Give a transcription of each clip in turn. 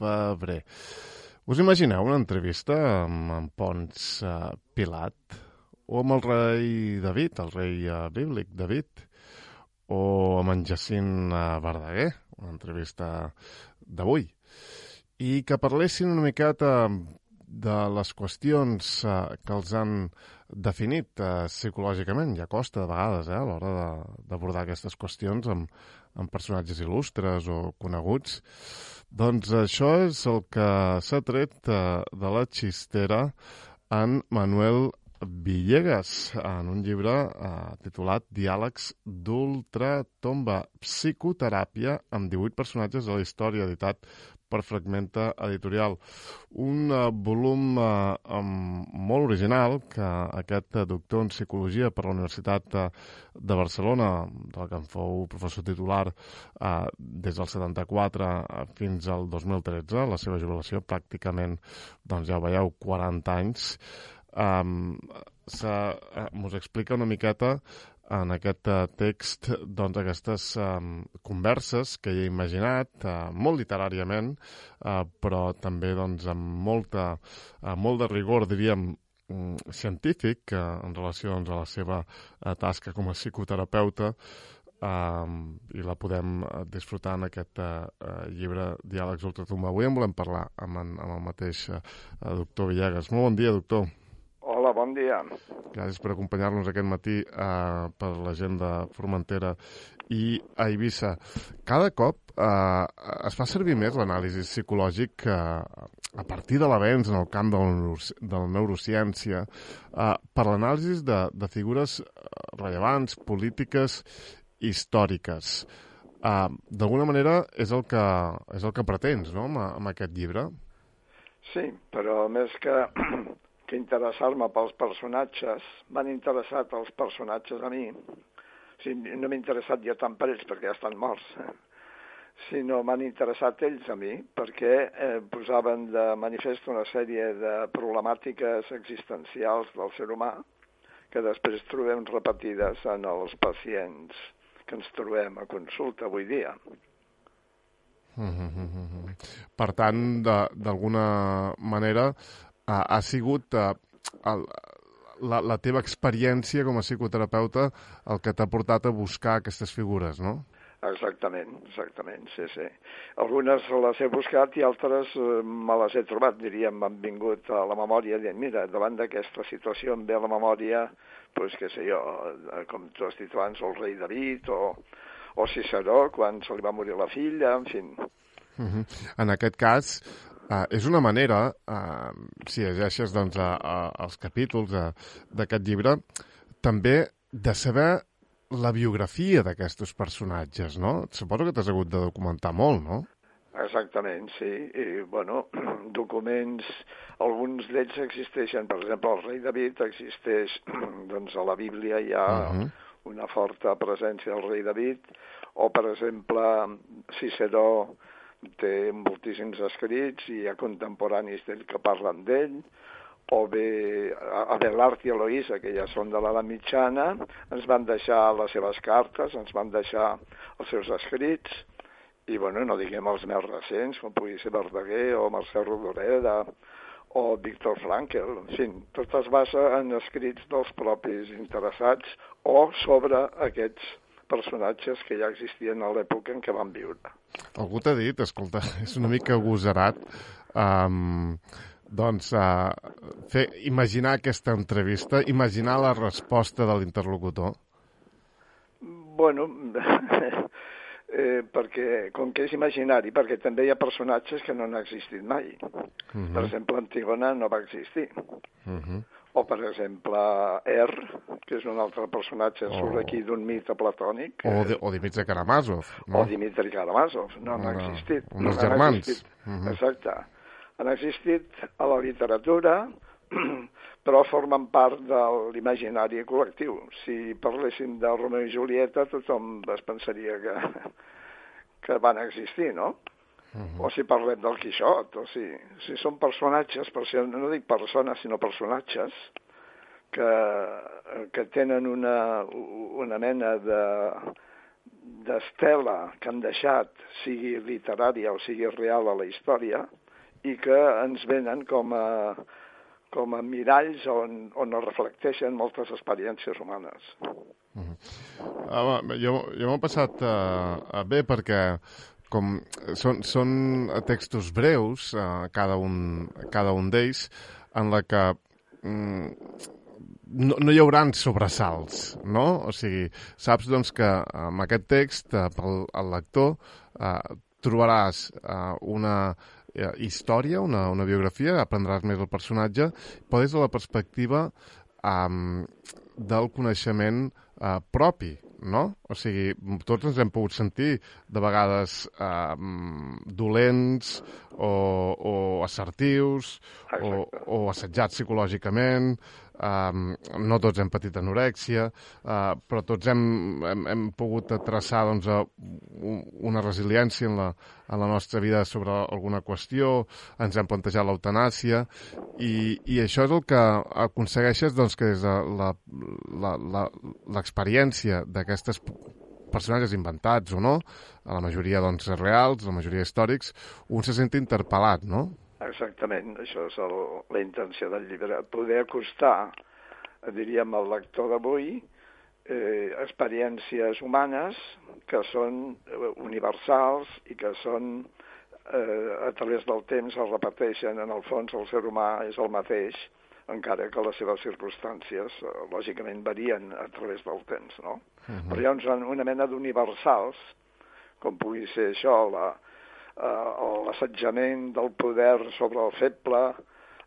febrer. Us imagineu una entrevista amb en Ponç Pilat o amb el rei David, el rei bíblic David, o amb en Jacint Verdaguer, una entrevista d'avui, i que parlessin una miqueta de les qüestions que els han definit psicològicament. Ja costa de vegades a l'hora d'abordar aquestes qüestions amb personatges il·lustres o coneguts. Doncs això és el que s'ha tret de la xistera en Manuel Villegas, en un llibre titulat Diàlegs d'ultratomba, psicoteràpia amb 18 personatges de la història, editat per Fragmenta Editorial. Un volum molt original que aquest doctor en psicologia per la Universitat de Barcelona, del que en fou professor titular des del 74 fins al 2013, la seva jubilació pràcticament, doncs ja ho veieu, 40 anys, mos explica una miqueta en aquest text doncs, aquestes converses que he imaginat, molt literàriament, però també doncs, amb molt de rigor, diríem, científic en relació doncs, a la seva tasca com a psicoterapeuta, i la podem disfrutar en aquest llibre Diàlegs d'ultratomba. Avui en volem parlar amb el mateix doctor Villegas. Molt bon dia, doctor. Hola, bon dia. Gràcies per acompanyar-nos aquest matí per la gent de Formentera i a Eivissa. Cada cop es fa servir més l'anàlisi psicològic a partir de l'avenç en el camp de la neurociència per l'anàlisi de figures rellevants, polítiques, històriques. D'alguna manera és el que pretens, no?, amb aquest llibre. Sí, però més que interessar-me pels personatges, m'han interessat els personatges a mi. O sigui, no m'he interessat jo tant per ells, perquè ja estan morts, sinó m'han interessat ells a mi, perquè posaven de manifest una sèrie de problemàtiques existencials del ser humà que després trobem repetides en els pacients que ens trobem a consulta avui dia. Per tant, d'alguna manera, ha sigut la teva experiència com a psicoterapeuta el que t'ha portat a buscar aquestes figures, no? Exactament, sí. Algunes les he buscat i altres me les he trobat, diríem, m'han vingut a la memòria dient, mira, davant d'aquesta situació em ve a la memòria, doncs què sé jo, com tu has dit abans, el rei David o Ciceró, quan se li va morir la filla, en fi. En aquest cas, és una manera, si llegeixes doncs, els capítols d'aquest llibre, també de saber la biografia d'aquests personatges, no? Suposo que t'has hagut de documentar molt, no? Exactament, sí. I, bueno, documents, alguns d'ells existeixen. Per exemple, el rei David existeix, doncs a la Bíblia hi ha una forta presència del rei David, o, per exemple, Ciceró té moltíssims escrits i hi ha contemporanis d'ell que parlen d'ell, o bé Abelard i Eloïsa, que ja són de l'edat mitjana, ens van deixar les seves cartes, ens van deixar els seus escrits, i bueno, no diguem els més recents, com pugui ser Verdaguer o Mercè Rodoreda o Víctor Frankl, en fi, tot es basa en escrits dels propis interessats o sobre aquests personatges que ja existien a l'època en què van viure. Algú t'ha dit, escolta, és una mica agosarat, imaginar aquesta entrevista, imaginar la resposta de l'interlocutor? Bueno, perquè, com que és imaginari, perquè també hi ha personatges que no han existit mai. Per exemple, Antígona no va existir. O, per exemple, que és un altre personatge, surt aquí d'un mite platònic. O Dimitri Karamazov. No? O Dimitri Karamazov, no han existit. Un dels germans. Exacte. Han existit a la literatura, però formen part de l'imaginari col·lectiu. Si parléssim de Romeo i Julieta, tothom es pensaria que van existir, no? O si parlem del Quixot, o si són personatges, no dic persones, sinó personatges, que tenen una mena d'estela que han deixat, sigui literària o sigui real a la història, i que ens venen com a miralls on es reflecteixen moltes experiències humanes. Jo m'ho he passat bé perquè com són textos breus, cada un d'ells, en la que no hi haurà sobresalts, no? O sigui, saps doncs, que amb aquest text, pel lector, trobaràs una història, una biografia, aprendràs més el personatge, però des de la perspectiva del coneixement propi, no? O sigui, tots ens hem pogut sentir de vegades dolents o assertius o assetjats psicològicament. No tots hem patit anorèxia, però tots hem pogut traçar doncs, una resiliència en la nostra vida sobre alguna qüestió, ens hem plantejat l'eutanàsia, i això és el que aconsegueixes doncs, que des de l'experiència d'aquestes personatges inventats o no, a la majoria doncs, reals, la majoria històrics, un se sent interpel·lat, no? Exactament, això és la intenció del llibre, poder acostar, diríem, al lector d'avui experiències humanes que són universals i que són, a través del temps, es repeteixen. En el fons, el ser humà és el mateix, encara que les seves circumstàncies, lògicament, varien a través del temps, no? Però hi ha una mena d'universals, com pugui ser això, l'assetjament del poder sobre el feble,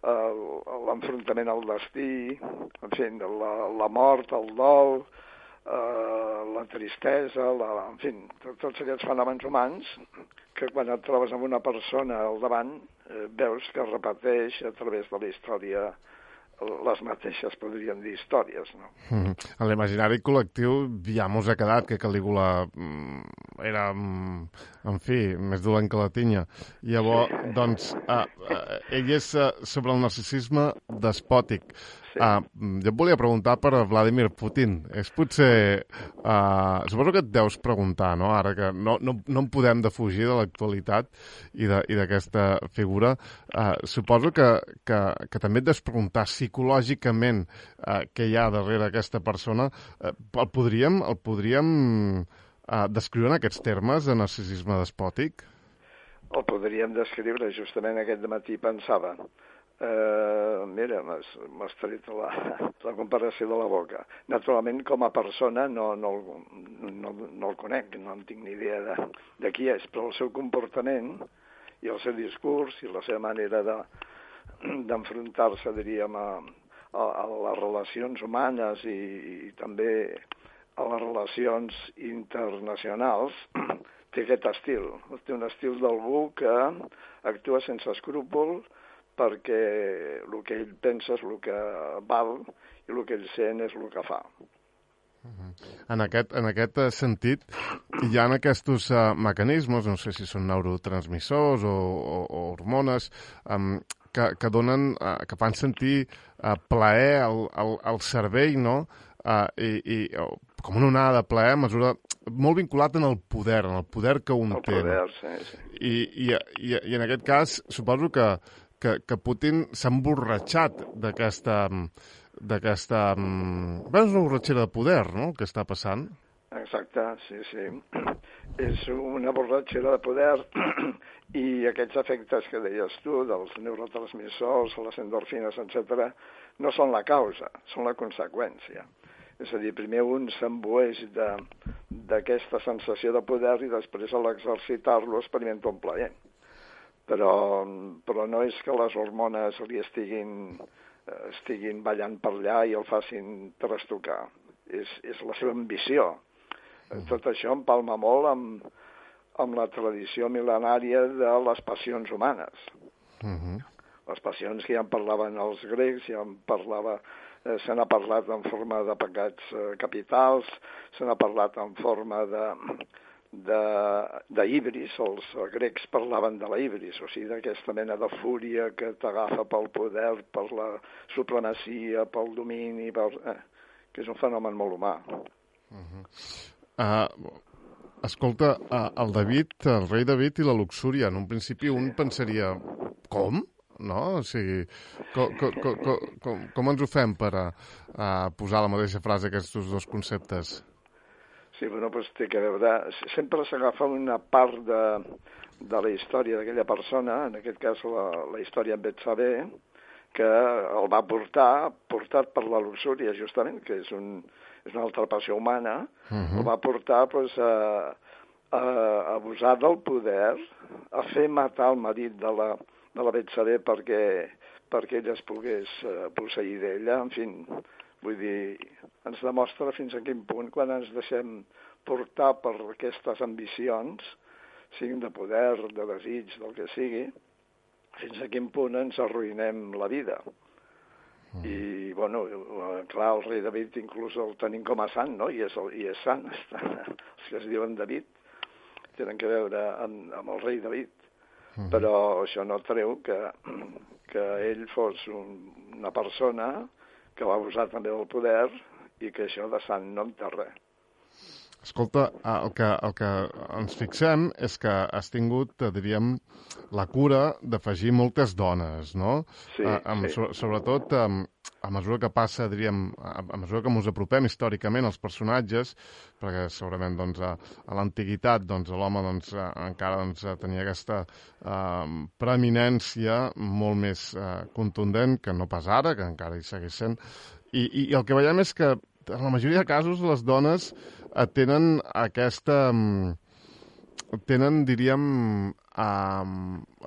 l'enfrontament al destí, en fi, la mort, el dol, la tristesa, en fi, tots aquests fenòmens humans que quan et trobes amb una persona al davant veus que repeteix a través de la història les mateixes, podríem dir, històries, no? En l'imaginari col·lectiu ja mos ha quedat que Calígula era, en fi, més dolent que la tinya. Llavors, doncs, ell és sobre el narcisisme despòtic. Jo et volia preguntar per Vladimir Putin. És potser... suposo que et deus preguntar, no? Ara que no en podem defugir de l'actualitat i d'aquesta figura. Suposo que també et deus preguntar psicològicament què hi ha darrere aquesta persona. El podríem descriure en aquests termes de narcisisme despòtic? El podríem descriure, justament aquest matí pensava. Mira, m'has tret la comparació de la boca. Naturalment, com a persona no el conec, no en tinc ni idea de qui és, però el seu comportament i el seu discurs i la seva manera d'enfrontar-se, diríem, a les relacions humanes i també a les relacions internacionals, té aquest estil. Té un estil d'algú que actua sense escrúpol, perquè el que ell pensa és el que val i el que ell sent és el que fa. En aquest sentit, hi ha aquests mecanismes, no sé si són neurotransmissors o hormones, que fan sentir plaer al cervell, no? I com una onada de plaer a mesura molt vinculat en el poder que un té. El poder, sí. I en aquest cas, suposo que Putin s'ha emborratxat d'aquesta una borratxera de poder, no?, que està passant. Exacte, sí. És una borratxera de poder i aquests efectes que deies tu, dels neurotransmissors, les endorfines, etc., no són la causa, són la conseqüència. És a dir, primer un s'embueix d'aquesta sensació de poder i després a l'exercitar-lo experimenta un plaer. Però no és que les hormones li estiguin ballant per allà i el facin trastocar. És la seva ambició. Tot això empalma molt amb la tradició mil·lenària de les passions humanes. Les passions que ja en parlaven els grecs, se n'ha parlat en forma de pecats capitals, se n'ha parlat en forma d'híbris, els grecs parlaven de la híbris, o sigui, d'aquesta mena de fúria que t'agafa pel poder, per la supremacia, pel domini, que és un fenomen molt humà. Escolta, el rei David i la luxúria, en un principi un pensaria, com? No? O sigui, com ens ho fem per posar a la mateixa frase aquests dos conceptes? Sí, bueno, doncs té que veure... Sempre s'agafa una part de la història d'aquella persona, en aquest cas la història amb Betsabé, que el va portat per la luxúria, justament, que és una altra passió humana, el va portar doncs, a abusar del poder, a fer matar el marit de la Betsabé perquè ella es pogués posseir d'ella, en fi, vull dir, ens demostra fins a quin punt, quan ens deixem portar per aquestes ambicions, siguin de poder, de desig, del que sigui, fins a quin punt ens arruïnem la vida. I, bueno, clar, el rei David inclús el tenim com a sant, no? I és sant. Els que es diuen David tenen que veure amb el rei David. Però això no treu que ell fos una persona que va abusar també del poder i que això de sant no en té res. Escolta, el que ens fixem és que has tingut, diríem, la cura d'afegir moltes dones, no? Sí, sí. Sobretot a mesura que passa, diríem, a mesura que ens apropem històricament als personatges, perquè segurament doncs, a l'antiguitat l'home encara tenia aquesta preeminència molt més contundent que no pas ara, que encara hi segueix sent. I el que veiem és que en la majoria de casos les dones tenen diríem,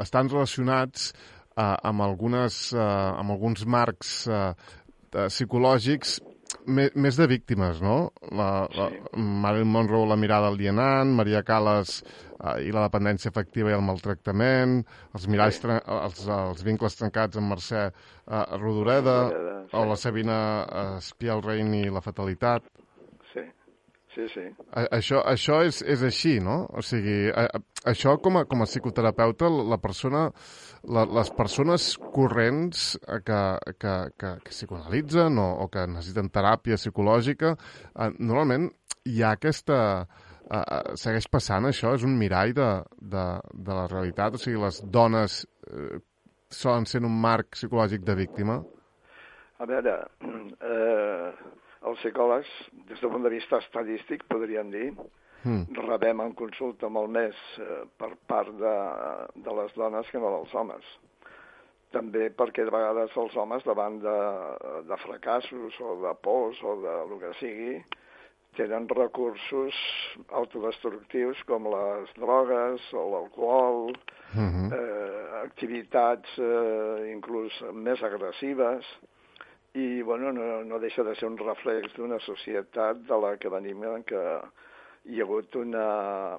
estan relacionats amb alguns marcs psicològics més de víctimes, no? Marilyn Monroe, la mirada alienant, Maria Callas i la dependència afectiva i el maltractament, els vincles trencats amb Mercè Rodoreda, o la Sabina Spielrein i la fatalitat. Sí. Això és així, no? O sigui, això com a psicoterapeuta, les persones corrents que psicoanalitzen o que necessiten teràpia psicològica, normalment hi ha segueix passant això? És un mirall de la realitat? O sigui, les dones solen ser un marc psicològic de víctima? A veure, els psicòlegs, des del punt de vista estadístic, podríem dir, rebem en consulta molt més per part de les dones que no dels homes. També perquè de vegades els homes, davant de fracassos o de pors o de lo que sigui, tenen recursos autodestructius com les drogues o l'alcohol, activitats inclús més agressives, i bueno, no deixa de ser un reflex d'una societat de la que venim, en què hi ha hagut una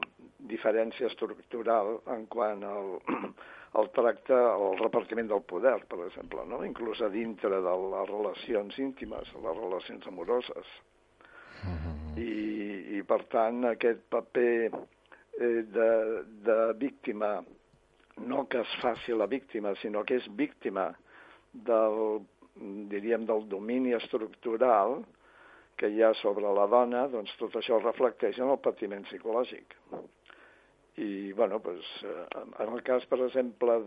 diferència estructural en quant al tracte, al repartiment del poder, per exemple, no? Inclús a dintre de les relacions íntimes, les relacions amoroses. I per tant, aquest paper de víctima, no que es faci la víctima, sinó que és víctima del domini estructural que hi ha sobre la dona, doncs tot això reflecteix en el patiment psicològic. I, bueno, doncs, en el cas, per exemple,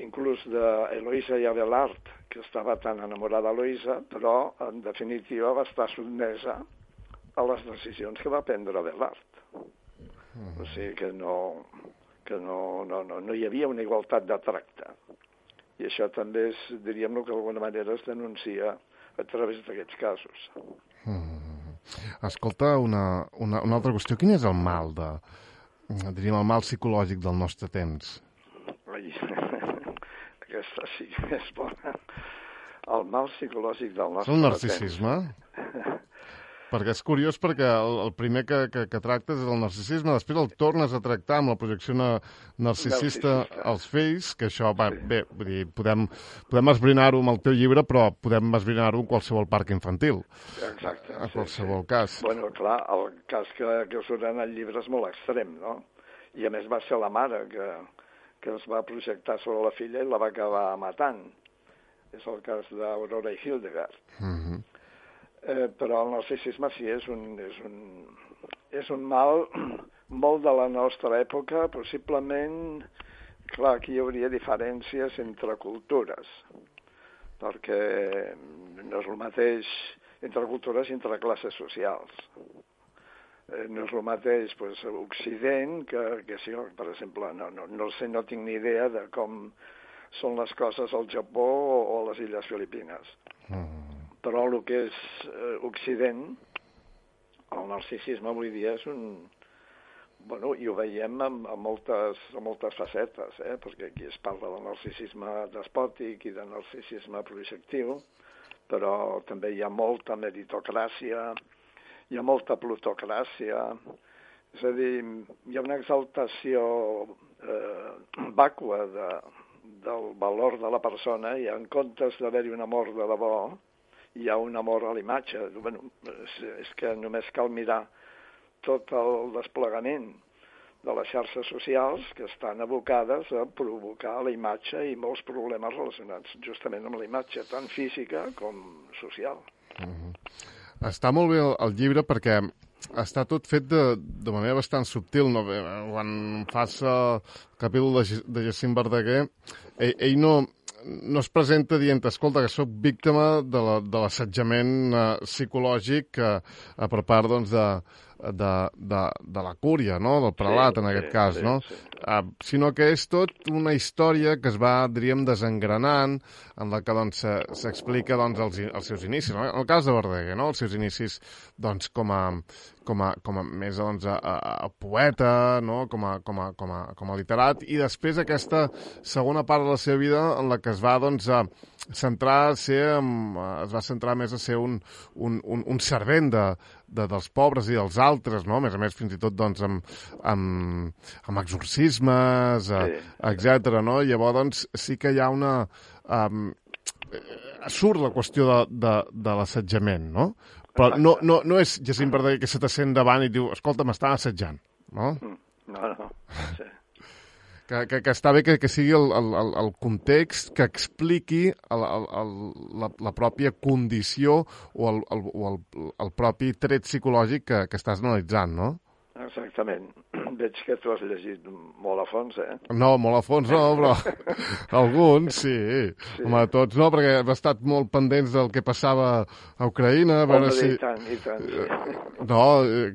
inclús d'Eloïsa i Abelard, que estava tan enamorada d'Eloïsa, però, en definitiva, va estar sotmesa a les decisions que va prendre Abelard. O sigui que no hi havia una igualtat de tracte. I això també és, diríem, que d'alguna manera es denuncia a través d'aquests casos. Escolta, una altra qüestió. Quin és el mal diríem, el mal psicològic del nostre temps? Ai, aquesta sí que és bona. El mal psicològic del nostre temps. El narcisisme? Perquè és curiós, perquè el primer que tractes és el narcisisme, després el tornes a tractar amb la projecció narcisista als fills, que això, bé, vull dir, podem esbrinar-ho amb el teu llibre, però podem esbrinar-ho en qualsevol parc infantil. Exacte. En qualsevol cas. Bueno, clar, el cas que surt en el llibre és molt extrem, no? I a més va ser la mare que es va projectar sobre la filla i la va acabar matant. És el cas d'Aurora i Hildegard. Però el narcisisme sí és és un mal molt de la nostra època, possiblement, clar, aquí hi hauria diferències entre cultures, perquè no és el mateix entre cultures i entre classes socials. No és el mateix Occident que si, per exemple, no sé, no tinc ni idea de com són les coses al Japó o a les Illes Filipines. Però el que és Occident, el narcisisme avui dia és un... Bueno, i ho veiem a moltes facetes, perquè aquí es parla del narcisisme despòtic i del narcisisme projectiu, però també hi ha molta meritocràcia, hi ha molta plutocràcia, és a dir, hi ha una exaltació vàcua del valor de la persona i en comptes d'haver-hi un amor de debò, hi ha un amor a l'imatge. Bueno, és que només cal mirar tot el desplegament de les xarxes socials que estan abocades a provocar la imatge i molts problemes relacionats justament amb la imatge, tant física com social. Està molt bé el llibre perquè està tot fet de manera bastant subtil. No? Quan fas el capítol de Jacint Verdaguer, ell no es presenta dient, escolta, que sóc víctima de l'assetjament psicològic per part doncs, de la cúria, no? Del prelat, en aquest cas, no? Sí. Sinó que és tot una història que es va, diríem, desengranant, en la que doncs, s'explica doncs, els seus inicis. No? En el cas de Verdaguer, no? Els seus inicis doncs, com a més doncs, a poeta, no? com a literat, i després aquesta segona part de la seva vida en la que es va doncs, centrar més a ser un servent dels pobres i dels altres, no? A més, fins i tot doncs, amb exorcismes, etc. No? Llavors, doncs, sí que hi ha una... surt la qüestió de l'assetjament, no? Però no és Jacint Verdaguer que se t'assent davant i diu, escolta, m'estan assetjant, no? No, sí. Que està bé que sigui el context que expliqui la pròpia condició o el propi tret psicològic que estàs analitzant, no? Exactament. Veig que tu has llegit molt a fons, No, molt a fons no, però alguns sí. Home, tots no, perquè hem estat molt pendents del que passava a Ucraïna. I tant, sí. No,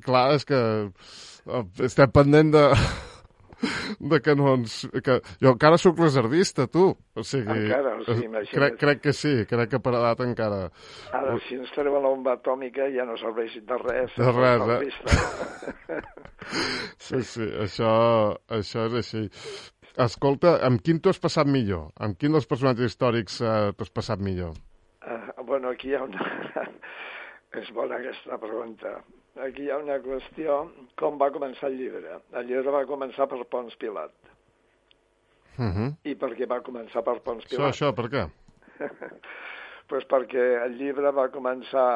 clar, és que estem pendent de que no ens... Jo encara sóc reservista, tu. O sigui, encara, sí, imagina't. Crec que sí, crec que per edat encara... Ara, si ens treuen la bomba atòmica ja no serveix de res. De res, Sí, això és així. Escolta, amb quin t'ho has passat millor? Amb quin dels personatges històrics t'ho has passat millor? Bueno, aquí hi ha una... És bona aquesta pregunta. Aquí hi ha una qüestió, com va començar el llibre. El llibre va començar per Pons Pilat. I per què va començar per Pons Pilat? Això, per què? Pues perquè el llibre va començar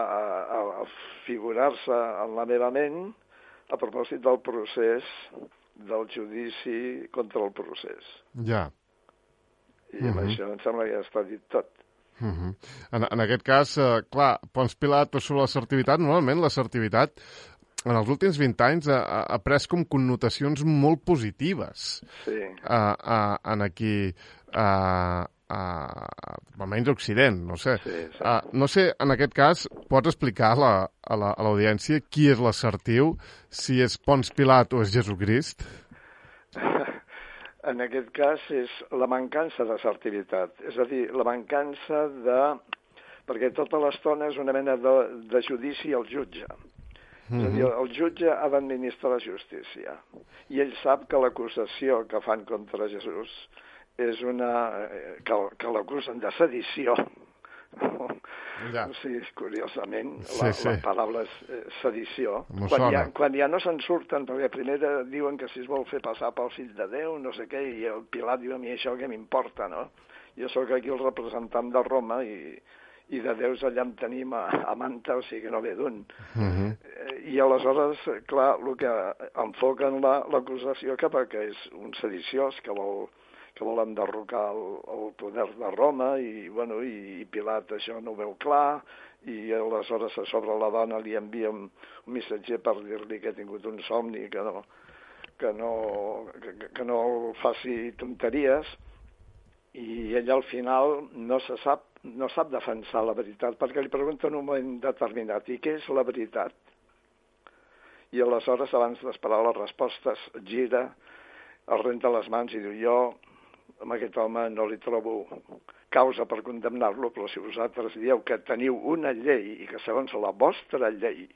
a figurar-se en la meva ment a propòsit del procés, del judici contra el procés. Ja. I amb això em sembla que ja està dit tot. En aquest cas, clar, Pons Pilat sobre l'assertivitat, normalment l'assertivitat en els últims 20 anys ha pres com connotacions molt positives. Sí. En aquí, almenys a Occident, no sé. Sí. No sé, en aquest cas, pots explicar a l'audiència qui és l'assertiu, si és Pons Pilat o és Jesucrist? En aquest cas és la mancança d'assertivitat, és a dir, la mancança de... perquè tota l'estona és una mena de judici al jutge. És a dir, el jutge ha d'administrar justícia i ell sap que l'acusació que fan contra Jesús és una... que l'acusen de sedició. Ja. Sí, curiosament, Sí. la paraula és sedició. Quan ja no se'n surten, perquè primer diuen que si es vol fer passar pel fill de Déu, no sé què, i el Pilat diu a mi això què m'importa, no? Jo sóc aquí el representant de Roma i de déus allà en tenim a manta, o sigui que no ve d'un. I aleshores, clar, el que enfoquen l'acusació cap a que és un sediciós, que que vol enderrocar el poder de Roma, i, bueno, i Pilat això no ho veu clar, i aleshores a sobre la dona li envia un missatger per dir-li que ha tingut un somni, que no faci tonteries, i ella al final no sap defensar la veritat, perquè li pregunta en un moment determinat, i què és la veritat? I aleshores, abans d'esperar les respostes, gira, es renta les mans i diu, jo amb aquest home no li trobo causa per condemnar-lo, però si vosaltres dieu que teniu una llei i que segons la vostra llei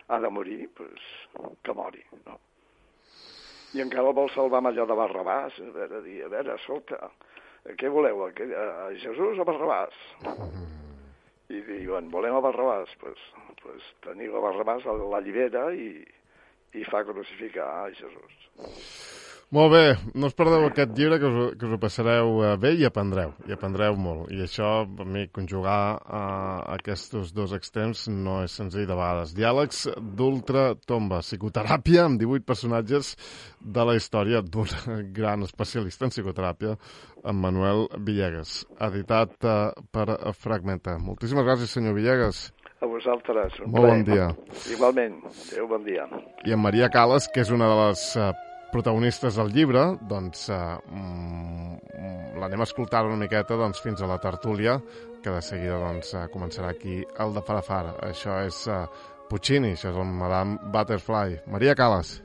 ha de morir, doncs que mori, no? I encara el vol salvar amb allò de Barrabàs, a veure, escolta, què voleu, a Jesús o Barrabàs? I diuen, volem a Barrabàs, doncs teniu a Barrabàs, l'allibera i fa crucificar a Jesús. Molt bé, no us perdeu aquest llibre, que us ho passareu bé i aprendreu molt. I això, per mi, conjugar aquests dos extrems no és senzill de vegades. Diàlegs d'ultratomba, psicoteràpia amb 18 personatges de la història d'un gran especialista en psicoteràpia, en Manuel Villegas, editat per Fragmenta. Moltíssimes gràcies, senyor Villegas. A vosaltres. Molt bon dia. Igualment. Adéu, bon dia. I en Maria Calas, que és una de les protagonistes del llibre, doncs l'anem a escoltar una miqueta fins a la tertúlia, que de seguida començarà aquí el de Farafara. Això és Puccini, això és el Madame Butterfly. Maria Calas.